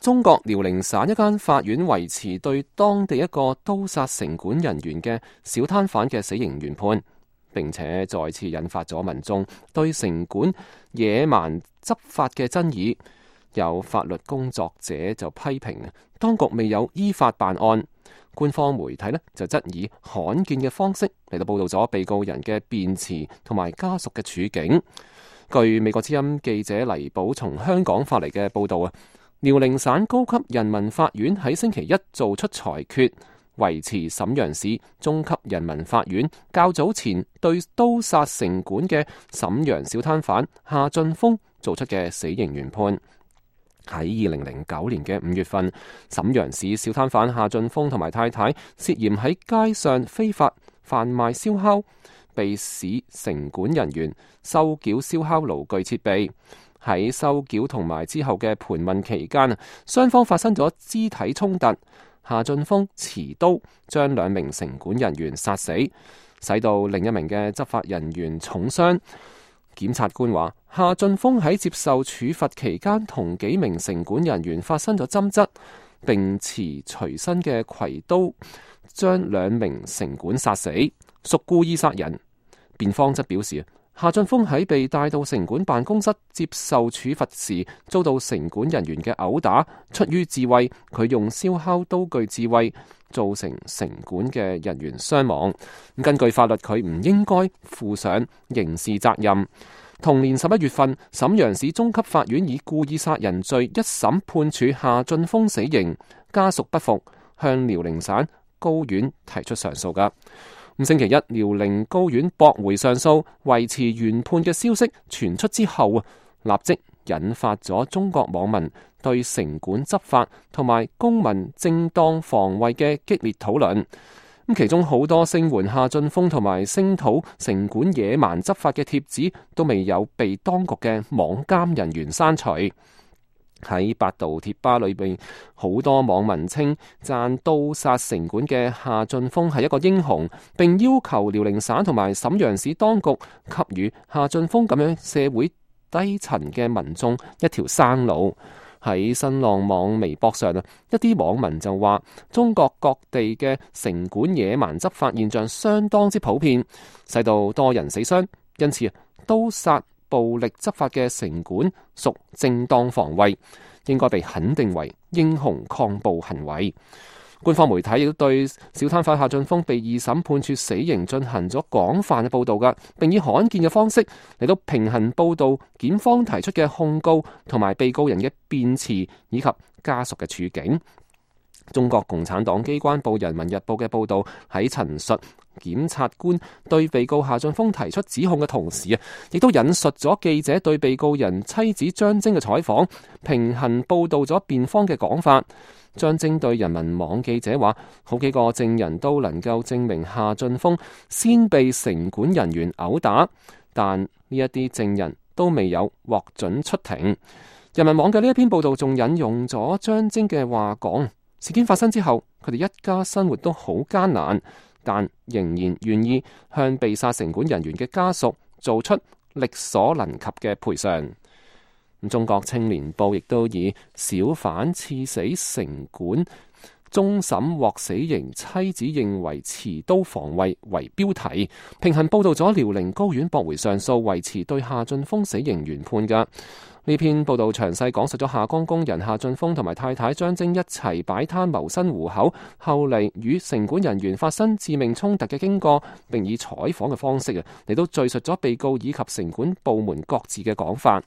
中國遼寧省一間法院維持對當地一個刀殺城管人員嘅小攤販嘅死刑原判，並且再次引發咗民眾對城管野蠻執法嘅爭議。有法律工作者就批評當局未有依法辦案，官方媒體就質疑罕見嘅方式嚟到報道咗被告人嘅辯詞同埋家屬嘅處境。據美國之音記者黎寶從香港發嚟嘅報道遼寧省高級人民法院喺星期一做出裁決，維持瀋陽市中級人民法院較早前對刀殺城管嘅瀋陽小攤販夏俊峰做出嘅死刑原判。喺2009年嘅5月份，瀋陽市小攤販夏俊峰同埋太太涉嫌喺街上非法販賣燒烤，被市城管人員收繳燒烤爐具設備。喺收繳同埋之後嘅盤問期間雙方發生咗肢體衝突，夏俊峰持刀將2名城管人員殺死，使到另一名嘅執法人員重傷。檢察官話，夏俊峰喺接受處罰期間同幾名城管人員發生咗爭執，並持隨身嘅葵刀將2名城管殺死，屬故意殺人。辯方則表示，夏俊峰喺被帶到城管辦公室接受處罰時，遭到城管人員嘅毆打，出於自衛，佢用燒烤刀具自衛，造成城管嘅人員傷亡。根據法律，佢唔應該負上刑事責任。同年11月份，瀋陽市中級法院以故意殺人罪一審判處夏俊峰死刑，家屬不服，向遼寧省高院提出上訴噶。星期一，遼寧高院駁回上訴，維持原判嘅消息傳出之後立即引發咗中國網民對城管執法同埋公民正當防衛嘅激烈討論。其中好多聲援夏俊峰同埋聲討城管野蠻執法嘅帖子都未有被當局嘅網監人員刪除。喺百度貼吧裏邊，好多網民稱讚刀殺城管嘅夏俊峰係一個英雄，並要求遼寧省同埋瀋陽市當局給予夏俊峰咁樣社會低層嘅民眾一條生路。喺新浪網微博上一啲網民就話，中國各地嘅城管野蠻執法現象相當之普遍，使到多人死傷，因此刀殺暴力執法嘅城管屬正當防衛，應該被肯定為英雄抗暴行為。官方媒體亦都對小攤販夏俊峰被2審判處死刑進行咗廣泛嘅報道噶，並以罕見嘅方式嚟到平衡報道檢方提出嘅控告同埋被告人嘅辯詞以及家屬嘅處境。中國共產黨機關報《人民日報》嘅報道喺陳述檢察官對被告夏俊峰提出指控嘅同時亦都引述咗記者對被告人妻子張晶嘅採訪，平衡報道咗辯方嘅講法。張晶對人民網記者話，好幾個證人都能夠證明夏俊峰先被城管人員毆打，但呢一啲證人都未有獲准出庭。人民網嘅呢一篇報道仲引用咗張晶嘅話講，事件發生之後，佢哋一家生活都好艱難，但仍然願意向被殺城管人員嘅家屬做出力所能及嘅賠償。中國青年報亦都以小販刺死城管終審獲死刑，妻子認為持刀防衛為標題，平衡報道咗遼寧高院駁回上訴，維持對夏俊峰死刑原判噶。呢篇報道詳細講述咗下崗工人夏俊峰同埋太太張晶一齊擺攤謀生糊口，後嚟與城管人員發生致命衝突嘅經過，並以採訪嘅方式嚟到敘述咗被告以及城管部門各自嘅講法。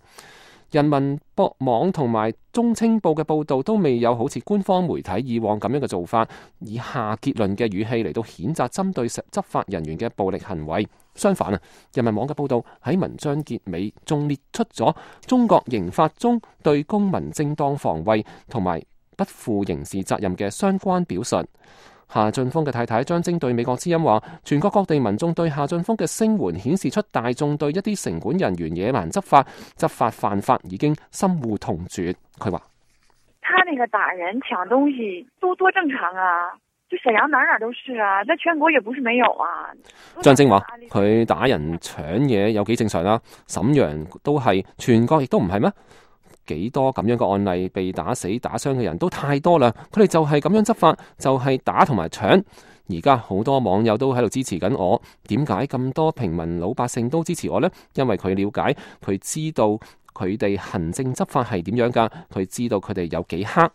人民網同埋中青報嘅報道都未有好似官方媒體以往咁樣嘅做法，以下結論嘅語氣嚟到譴責針對執法人員嘅暴力行為。相反人民網嘅報道喺文章結尾仲列出咗中國刑法中對公民正當防衛同埋不負刑事責任嘅相關表述。夏俊峰嘅太太張晶對美國之音話，全國各地民眾對夏俊峰嘅聲援顯示出大眾對一啲城管人員野蠻執法犯法已經深惡痛絕。佢話：他那個打人搶東西多正常啊，就沈陽哪都是啊，在全國也不是沒有啊。張晶話：佢打人搶嘢有幾正常啊，瀋陽都係，全國亦都唔係咩？幾多咁樣嘅案例，被打死打傷嘅人都太多啦。佢哋就係咁樣執法，就係打同埋搶。而家好多網友都喺度支持緊我，點解咁多平民老百姓都支持我呢？因為佢了解，佢知道佢哋行政執法係點樣噶，佢知道佢哋有幾黑。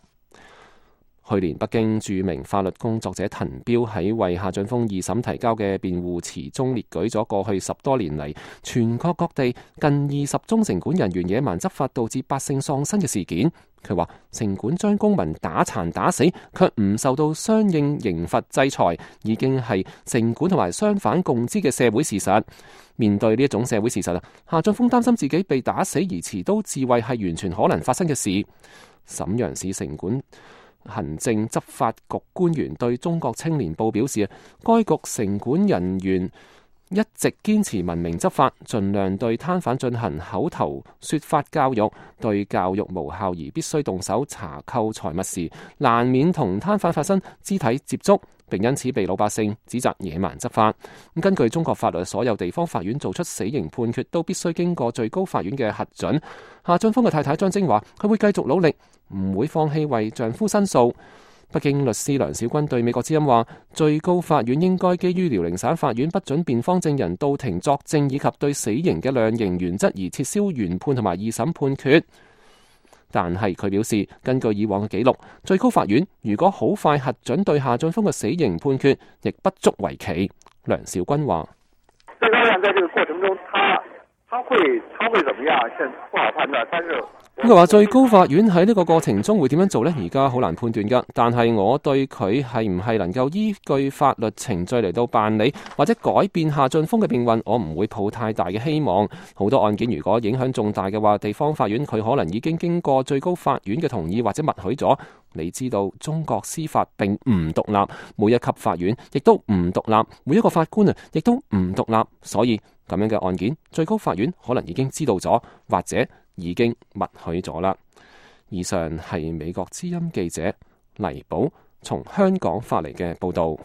去年北京著名法律工作者滕彪喺為夏俊峰二審提交嘅辯護詞中列舉咗過去10多年嚟全國各地近20宗城管人員野蠻執法導致百姓喪生嘅事件。佢話城管將公民打殘打死，卻唔受到相應刑罰制裁，已經係城管同埋商販共知嘅社會事實。面對呢一種社會事實，夏俊峰擔心自己被打死而持刀自衛係完全可能發生嘅事。瀋陽市城管行政執法局官員對中國青年報表示，該局城管人員一直堅持文明執法，盡量對攤販進行口頭說法教育，對教育無效而必須動手查扣財物時，難免同攤販發生肢體接觸，並因此被老百姓指責野蠻執法。根據中國法律，所有地方法院做出死刑判決都必須經過最高法院嘅核准。夏俊峰嘅太太張晶話，佢會繼續努力，唔會放棄為丈夫申訴。北京律師梁小軍對美國之音話，最高法院應該基於遼寧省法院不准辯方證人到庭作證以及對死刑嘅量刑原則而撤銷原判同埋二審判決。但係佢表示，根據以往嘅記錄，最高法院如果好快核准對夏俊峰嘅死刑判決，亦不足為奇。梁小軍話：最高院在這個過程中，他會怎麼樣？現在不好判斷，但是。佢話最高法院喺呢個過程中會點樣做呢？而家好難判斷噶。但係我對佢係唔係能夠依據法律程序嚟到辦理或者改變夏俊峰嘅命運，我唔會抱太大嘅希望。好多案件如果影響重大嘅話，地方法院佢可能已經經過最高法院嘅同意或者默許咗。你知道中國司法並唔獨立，每一級法院亦都唔獨立，每一個法官亦都唔獨立，所以咁樣嘅案件，最高法院可能已經知道咗，或者已經默許咗啦。以上係美國之音記者黎寶從香港發嚟嘅報道。